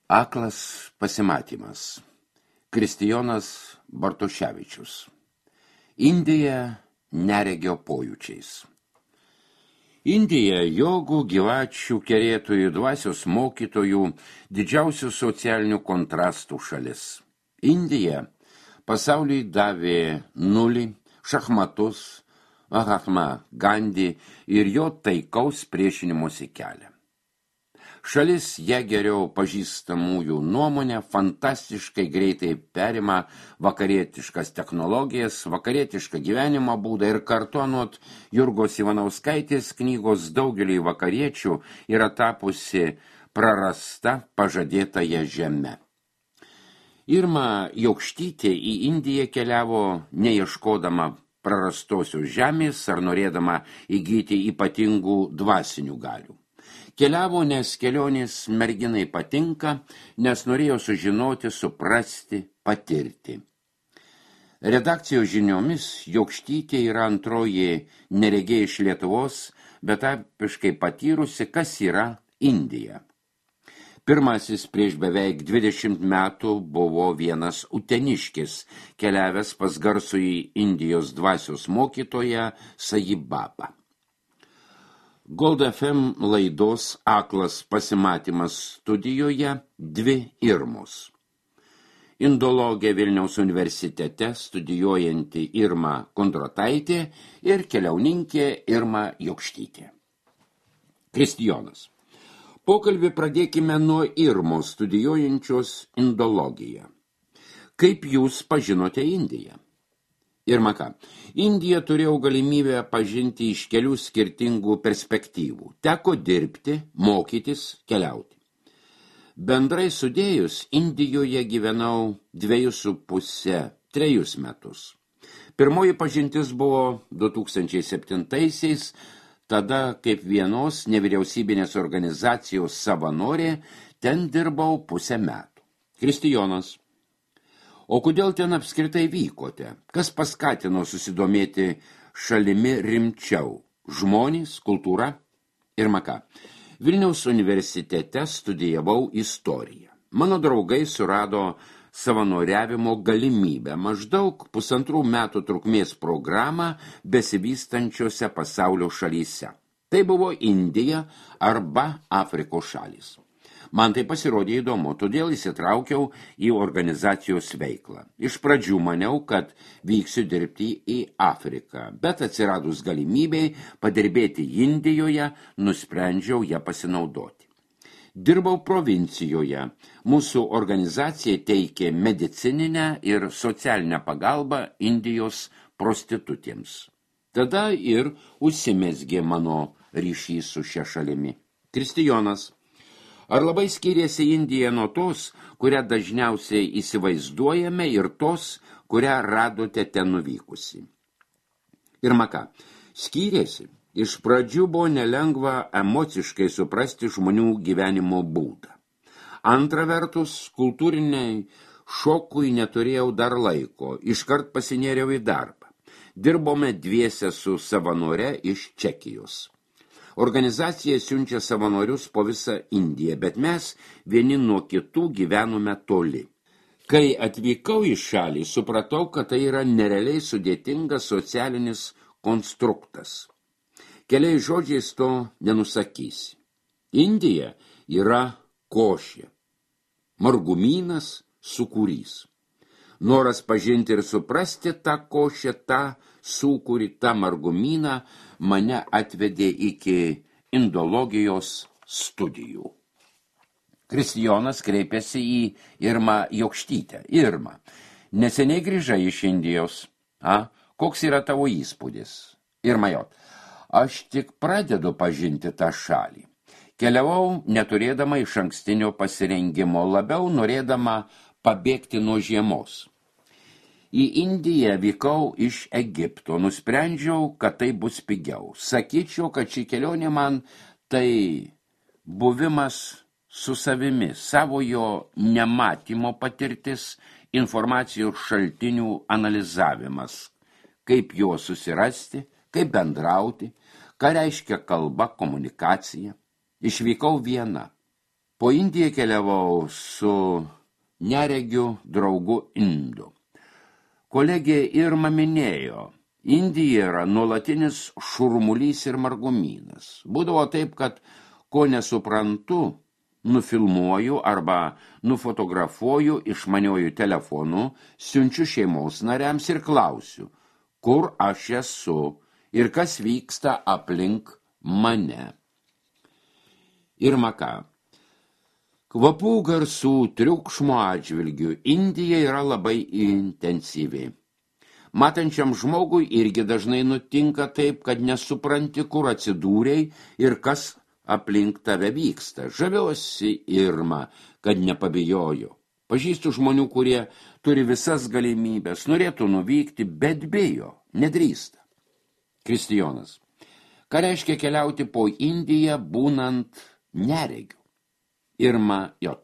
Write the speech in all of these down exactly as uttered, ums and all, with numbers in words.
Aklas pasimatymas. Kristijonas Bartoševičius. Indija neregio pojūčiais. Indija jogų, gyvačių, kerėtojų, dvasios mokytojų, didžiausių socialinių kontrastų šalis. Indija pasauliui davė nulį, šachmatus, Mahatma Gandhi ir jo taikaus priešinimuose kelią. Šalis ją geriau pažįstamųjų nuomonę fantastiškai greitai perima vakarietiškas technologijas, vakarietišką gyvenimo būdą ir kartu anot Jurgos Ivanauskaitės knygos daugeliui vakariečių yra tapusi prarasta pažadėtąja žeme. Irma Jokštytė į Indiją keliavo neieškodama prarastosios žemės ar norėdama įgyti ypatingų dvasinių galių. Keliavo, nes kelionės merginai patinka, nes norėjo sužinoti, suprasti, patirti. Redakcijos žiniomis Jokštytė yra antroji neregė iš Lietuvos, bet apiškai patyrusi, kas yra Indija. Pirmasis prieš beveik dvidešimt metų buvo vienas uteniškis, keliavęs pas garsųjį Indijos dvasios mokytoją Sajibabą. Gold F M laidos Aklas pasimatymas studijoje dvi Irmos. Indologė Vilniaus universitete studijuojanti Irma Kondrataitė ir keliauninkė Irma Jokštytė. Kristijonas. Pokalbį pradėkime nuo Irmos studijuojančios indologiją. Kaip jūs pažinote Indiją? Irma ką? Indiją turėjau galimybę pažinti iš kelių skirtingų perspektyvų. Teko dirbti, mokytis, keliauti. Bendrai sudėjus, Indijoje gyvenau dviejus su puse, trejus metus. Pirmoji pažintis buvo du tūkstančiai septintaisiais, tada kaip vienos nevyriausybinės organizacijos savanorė, ten dirbau pusę metų. Kristijonas. O kodėl ten apskritai vykote? Kas paskatino susidomėti šalimi rimčiau? Žmonės, kultūra? Irma ką? Vilniaus universitete studijavau istoriją. Mano draugai surado savanoriavimo galimybę, maždaug pusantrų metų trukmės programą besivystančiose pasaulio šalyse. Tai buvo Indija arba Afrikos šalys. Man tai pasirodė įdomu, todėl įsitraukiau į organizacijos veiklą. Iš pradžių maniau, kad vyksiu dirbti į Afriką, bet atsiradus galimybei padirbėti Indijoje, nusprendžiau ją pasinaudoti. Dirbau provincijoje. Mūsų organizacija teikė medicininę ir socialinę pagalbą Indijos prostitutėms. Tada ir užsimezgė mano ryšys su šia šalimi. Kristijonas. Ar labai skiriasi Indija nuo tos, kurią dažniausiai įsivaizduojame ir tos, kurią radote ten nuvykusi? Irma ką? Skyrėsi. Iš pradžių buvo nelengva emociškai suprasti žmonių gyvenimo būdą. Antra vertus, kultūriniai šokui neturėjau dar laiko, iškart pasinėriau į darbą. Dirbome dviese su savanore iš Čekijos. Organizacija siunčia savanorius po visą Indiją, bet mes vieni nuo kitų gyvenome toli. Kai atvykau į šalį, supratau, kad tai yra nerealiai sudėtingas socialinis konstruktas. Keliais žodžiais to nenusakysi. Indija yra košė, margumynas, sūkurys. Noras pažinti ir suprasti tą košę, tą sūkurį, tą margumyną mane atvedė iki indologijos studijų. Kristijonas kreipėsi į Irmą Jokštytę. Irma, neseniai grįžai iš Indijos. A, koks yra tavo įspūdis? Irma Jot, aš tik pradedu pažinti tą šalį. Keliavau neturėdama iš ankstinio pasirengimo, labiau norėdama pabėgti nuo žiemos. Į Indiją vykau iš Egipto, nusprendžiau, kad tai bus pigiau. Sakyčiau, kad ši kelionė man tai buvimas su savimi, savojo nematymo patirtis, informacijos šaltinių analizavimas, kaip juos susirasti, kaip bendrauti, ką reiškia kalba, komunikacija. Išvykau viena. Po Indiją keliavau su neregiu draugu Indu. Kolegė Irma minėjo, Indija yra nuolatinis šurmulys ir margumynas. Būdavo taip, kad ko nesuprantu, nufilmuoju arba nufotografuoju išmaniuoju telefonu, siunčiu šeimos nariams ir klausiu, kur aš esu ir kas vyksta aplink mane. Irma ką? Kvapų, garsų, triukšmo atžvilgių Indija yra labai intensyvi. Matančiam žmogui irgi dažnai nutinka taip, kad nesupranti, kur atsidūrei ir kas aplink tave vyksta. Žaviuosi Irma, kad nepabijojo. Pažįstu žmonių, kurie turi visas galimybės, norėtų nuvykti, bet bijo, nedrįsta. Kristijonas. Ką reiškia keliauti po Indiją, būnant neregiu? Irma J.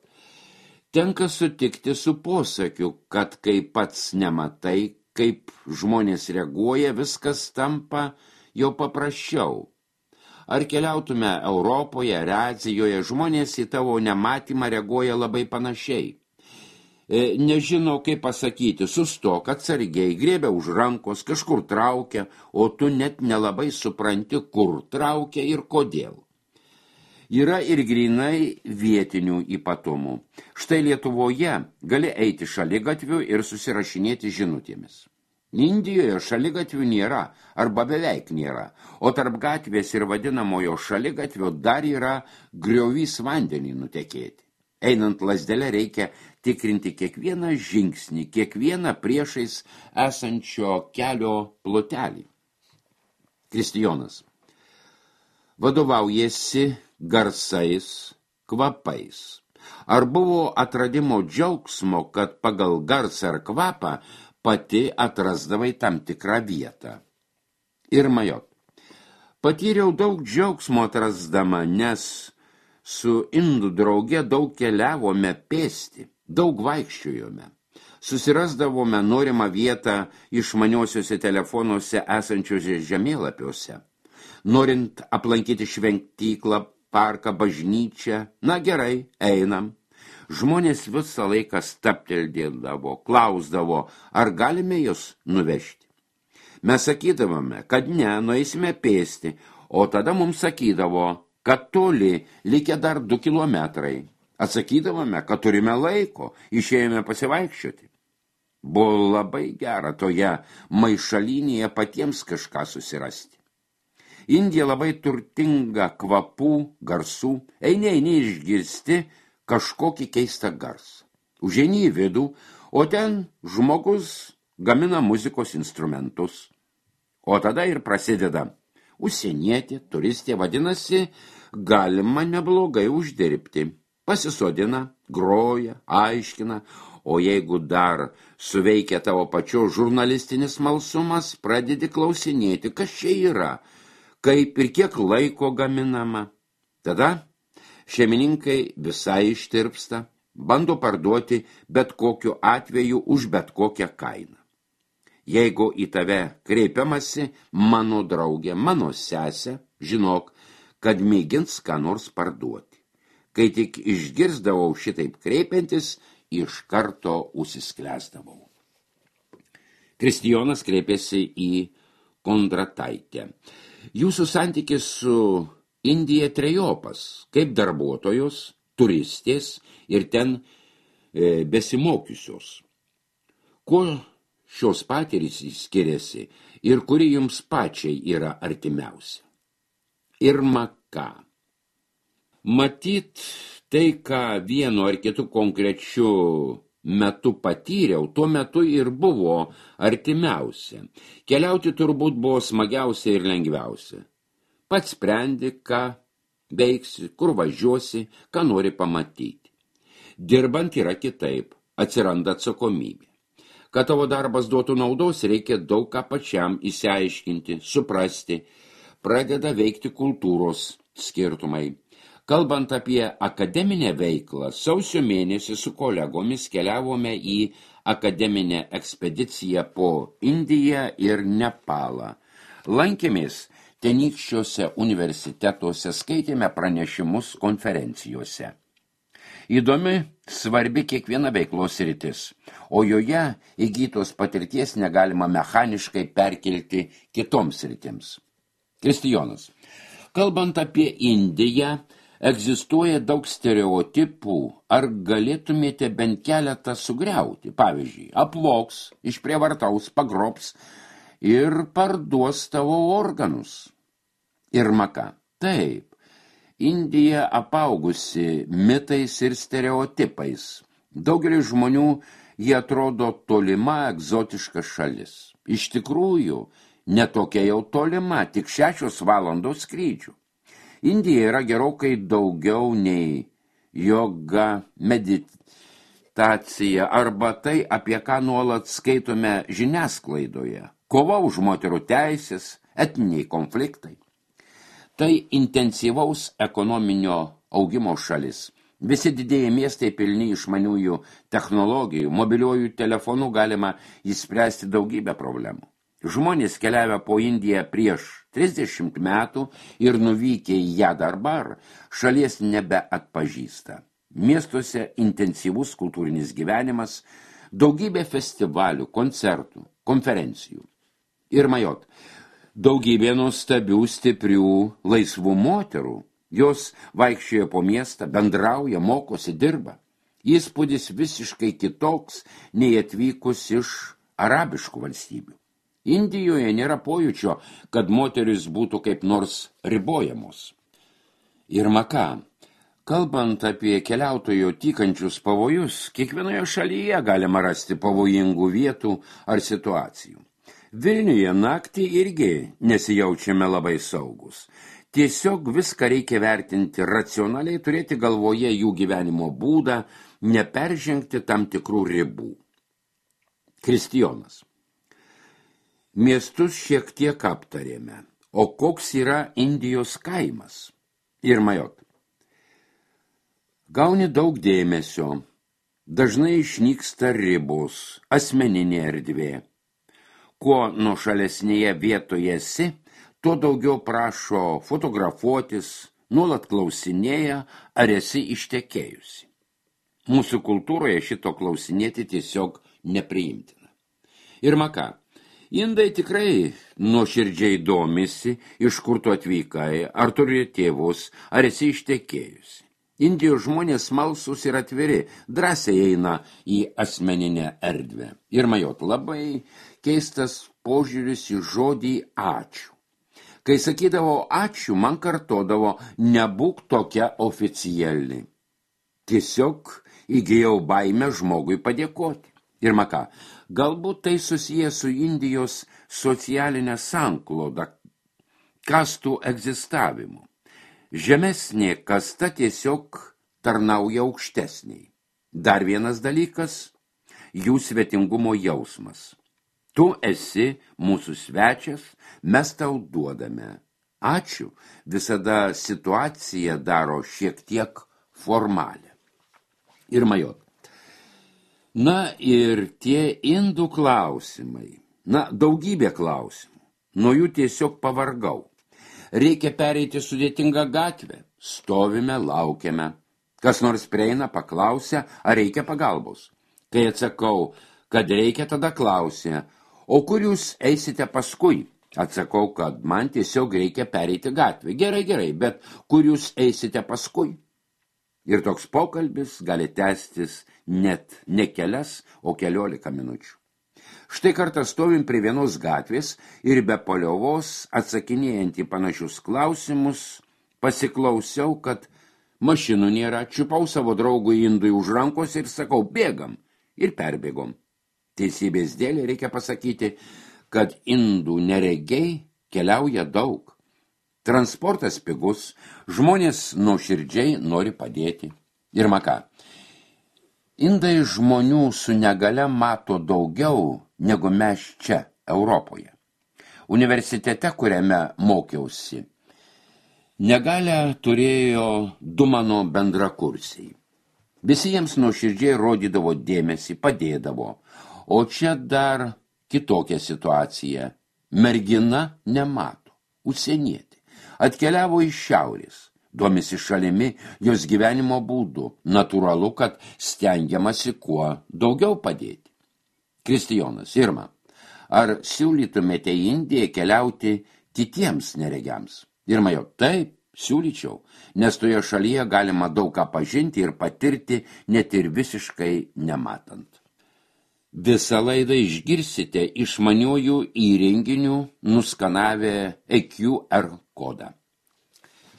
Tenka sutikti su posakiu, kad kai pats nematai, kaip žmonės reaguoja, viskas tampa jau paprasčiau. Ar keliautume Europoje ar Azijoje, žmonės į tavo nematymą reaguoja labai panašiai. E, nežino, kaip pasakyti, sustok atsargiai, griebia už rankos, kažkur traukia, o tu net nelabai supranti, kur traukia ir kodėl. Yra ir grinai vietinių ypatumų. Štai Lietuvoje gali eiti šaligatviu ir susirašinėti žinutėmis. Indijoje šaligatvių nėra, arba beveik nėra, o tarp gatvės ir vadinamojo šaligatvio dar yra griovys vandenį nutekėti. Einant lazdelę reikia tikrinti kiekvieną žingsnį, kiekvieną priešais esančio kelio plotelį. Kristijonas. Vadovaujasi garsais, kvapais. Ar buvo atradimo džiaugsmo, kad pagal garsą ar kvapą pati atrasdavai tam tikrą vietą? Irma J. Patyriau daug džiaugsmo atrasdama, nes su indų drauge daug keliavome pėsti, daug vaikščiojome. Susirasdavome norimą vietą išmaniosiuose telefonuose esančiuose žemėlapiuose. Norint aplankyti šventyklą, parką, bažnyčią, na gerai, einam. Žmonės visą laiką stapteldėdavo, klausdavo, ar galime jūs nuvežti. Mes sakydavome, kad ne, nueisime pėsti, o tada mums sakydavo, kad toli, likę dar du kilometrai. Atsakydavome, kad turime laiko, išėjome pasivaikščioti. Buvo labai gera toje maišalinėje patiems kažką susirasti. Indija labai turtinga kvapų, garsų, eini, eini išgirsti kažkokį keistą garsą. Užeini į vidų, o ten žmogus gamina muzikos instrumentus. O tada ir prasideda užsienietė, turistė, vadinasi, galima neblogai uždirbti. Pasisodina, groja, aiškina, o jeigu dar suveikia tavo pačio žurnalistinis smalsumas, pradedi klausinėti, kas čia yra, kaip ir kiek laiko gaminama. Tada šeimininkai visai ištirpsta, bando parduoti bet kokiu atveju už bet kokią kainą. Jeigu į tave kreipiamasi mano draugė, mano sesė, žinok, kad mėgins ką nors parduoti. Kai tik išgirsdavau šitaip kreipiantis, iš karto užsisklęsdavau. Kristijonas kreipėsi į Kondrataitę. Jūsų santykis su Indija trejopas, kaip darbuotojos, turistės ir ten e, besimokiusios. Kuo šios patirys skiriasi ir kuri jums pačiai yra artimiausia? Irma ką? Matyt, tai, ką vienu ar kitu konkrečiu metu patyriau, tuo metu ir buvo artimiausia. Keliauti turbūt buvo smagiausia ir lengviausia. Pats sprendi, ką veiksi, kur važiuosi, ką nori pamatyti. Dirbant yra kitaip, atsiranda atsakomybė. Kad tavo darbas duotų naudos, reikia daug ką pačiam išsiaiškinti, suprasti, pradeda veikti kultūros skirtumai. Kalbant apie akademinę veiklą, sausio mėnesį su kolegomis keliavome į akademinę ekspediciją po Indiją ir Nepalą. Lankėmės tenykščiuose universitetuose, skaitėme pranešimus konferencijose. Įdomi, svarbi kiekviena veiklos sritis, o joje įgytos patirties negalima mechaniškai perkelti kitoms sritims. Kristijonas. Kalbant apie Indiją, egzistuoja daug stereotipų, ar galėtumėte bent keletą sugriauti? Pavyzdžiui, apvogs, išprievartaus, pagrobs ir parduos tavo organus. Irma ką? Taip, Indija apaugusi mitais ir stereotipais. Daugelis žmonių jie atrodo tolima, egzotiška šalis. Iš tikrųjų, netokia jau tolima, tik šešios valandos skrydžių. Indija yra gerokai daugiau nei joga, meditacija arba tai, apie ką nuolat skaitome žiniasklaidoje. Kova už moterų teisės, etniniai konfliktai. Tai intensyvaus ekonominio augimo šalis. Visi didieji miestai pilni išmaniųjų technologijų, mobiliuojų telefonų galima išspręsti daugybę problemų. Žmonės keliavę po Indiją prieš trisdešimt metų ir nuvykę į ją dabar, šalies nebeatpažįsta. Miestuose intensyvus kultūrinis gyvenimas, daugybė festivalių, koncertų, konferencijų. Ir majot, daugybė nuostabių, stiprių, laisvų moterų. Jos vaikščioja po miestą, bendrauja, mokosi, dirba. Įspūdis visiškai kitoks, nei atvykus iš arabiškų valstybių. Indijoje nėra pojūčio, kad moteris būtų kaip nors ribojamos. Irma ką? Kalbant apie keliautojo tykančius pavojus, kiekvienoje šalyje galima rasti pavojingų vietų ar situacijų. Vilniuje naktį irgi nesijaučiame labai saugus. Tiesiog viską reikia vertinti racionaliai, turėti galvoje jų gyvenimo būdą, neperžengti tam tikrų ribų. Kristijonas. Miestus šiek tiek aptarėme, o koks yra Indijos kaimas? Ir majot. Gauni daug dėmesio, dažnai išnyksta ribos, asmeninė erdvė. Kuo nuošalesnėje vietoje esi, tuo daugiau prašo fotografuotis, nuolat klausinėja, ar esi ištekėjusi. Mūsų kultūroje šito klausinėti tiesiog nepriimtina. Irma ką? Indai tikrai nuoširdžiai domisi, iš kur tu atvykai, ar turi tėvus, ar esi ištekėjusi. Indijos žmonės smalsūs ir atviri, drąsiai eina į asmeninę erdvę. Ir majot, labai keistas požiūris į žodį ačiū. Kai sakydavo ačiū, man kartodavo, nebūk tokia oficiali. Tiesiog įgijau baimę žmogui padėkoti. Ir ką, galbūt tai susiję su Indijos socialinė sankloda, kastų egzistavimu. Žemesnė kasta tiesiog tarnauja aukštesniai. Dar vienas dalykas – jų svetingumo jausmas. Tu esi mūsų svečias, mes tau duodame. Ačiū, visada situacija daro šiek tiek formalę. Ir majot. Na ir tie indų klausimai. Na, daugybė klausimų. Nuo jų tiesiog pavargau. Reikia pereiti sudėtingą gatvę. Stovime, laukiame. Kas nors prieina, paklausia, ar reikia pagalbos. Kai atsakau, kad reikia, tada klausia, o kur jūs eisite paskui? Atsakau, kad man tiesiog reikia pereiti gatvę. Gerai, gerai, bet kur jūs eisite paskui? Ir toks pokalbis gali tęstis net ne kelias, o keliolika minučių. Štai kartą stovim prie vienos gatvės ir be paliovos, atsakinėjant į panašius klausimus, pasiklausiau, kad mašinų nėra, čiupau savo draugui indui už rankos ir sakau, bėgam, ir perbėgom. Teisybės dėlė reikia pasakyti, kad indų neregiai keliauja daug. Transportas pigus, žmonės nuoširdžiai nori padėti. Ir ką? Indai žmonių su negale mato daugiau, negu mes čia, Europoje. Universitete, kuriame mokiausi, negalę turėjo du mano bendrakursiai. Visi jiems nuoširdžiai rodydavo dėmesį, padėdavo, o čia dar kitokia situacija. Mergina nemato, užsienietė. Atkeliavo iš šiaurės, domisi šalimi, jos gyvenimo būdu. Natūralu, kad stengiamasi kuo daugiau padėti. Kristijonas, Irma, ar siūlytumėte į Indiją keliauti kitiems neregiams? Irma jau, taip, siūlyčiau, nes toje šalyje galima daug ką pažinti ir patirti, net ir visiškai nematant. Visą laidą išgirsite išmaniųjų įrenginių nuskanavę E Q R kodą.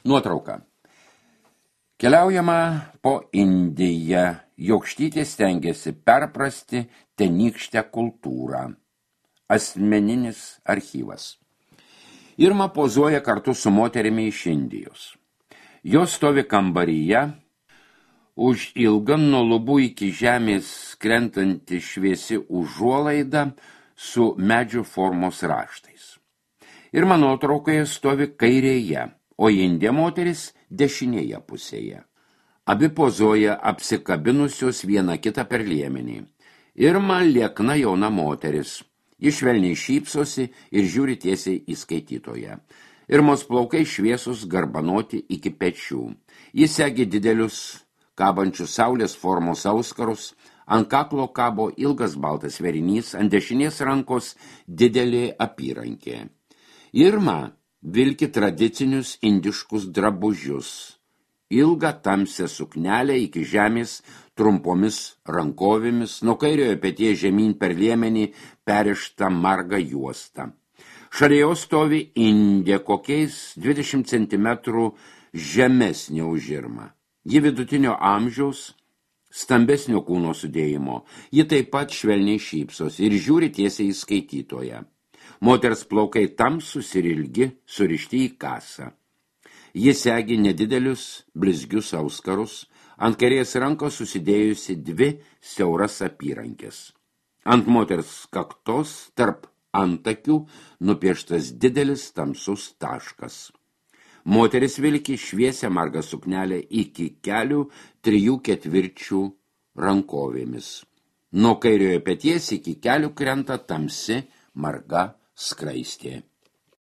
Nuotrauka. Keliaujama po Indiją, Jokštytė stengiasi perprasti tenykštę kultūrą. Asmeninis archyvas. Irma pozuoja kartu su moterimi iš Indijos. Jos stovi kambaryje, už ilgą nuo lubų iki žemės krentanti šviesi užuolaida su medžių formos raštais. Irma nuotraukoje stovi kairėje, o Indė moteris dešinėje pusėje. Abi pozuoja apsikabinusios vieną kitą per liemenį. Irma liekna jauna moteris. Ji švelniai šypsosi ir žiūri tiesiai į skaitytoją. Irmos plaukai šviesus garbanoti iki pečių. Jis segi didelius kabančius saulės formos auskarus, ant kaklo kabo ilgas baltas verinys, ant dešinės rankos didelė apyrankė. Irma vilki tradicinius indiškus drabužius, ilgą tamsią suknelę iki žemės trumpomis rankovėmis, nuo kairiojo peties žemyn per liemenį perištą margą juostą. Šalia jos stovi Indė, kokiais dvidešimt centimetrų žemesnė už Irmą. Ji vidutinio amžiaus, stambesnio kūno sudėjimo. Ji taip pat švelniai šypsos ir žiūri tiesiai į skaitytoją. Moters plaukai tamsūs ir ilgi, surišti į kasą. Ji segi nedidelius, blizgius auskarus, ant kairės rankos susidėjusi dvi siauras apyrankės. Ant moters kaktos, tarp antakių, nupieštas didelis tamsus taškas. Moteris vilki šviesią margą suknelę iki kelių trijų ketvirčių rankovėmis. Nuo kairiojo peties iki kelių krenta tamsi marga skraistė.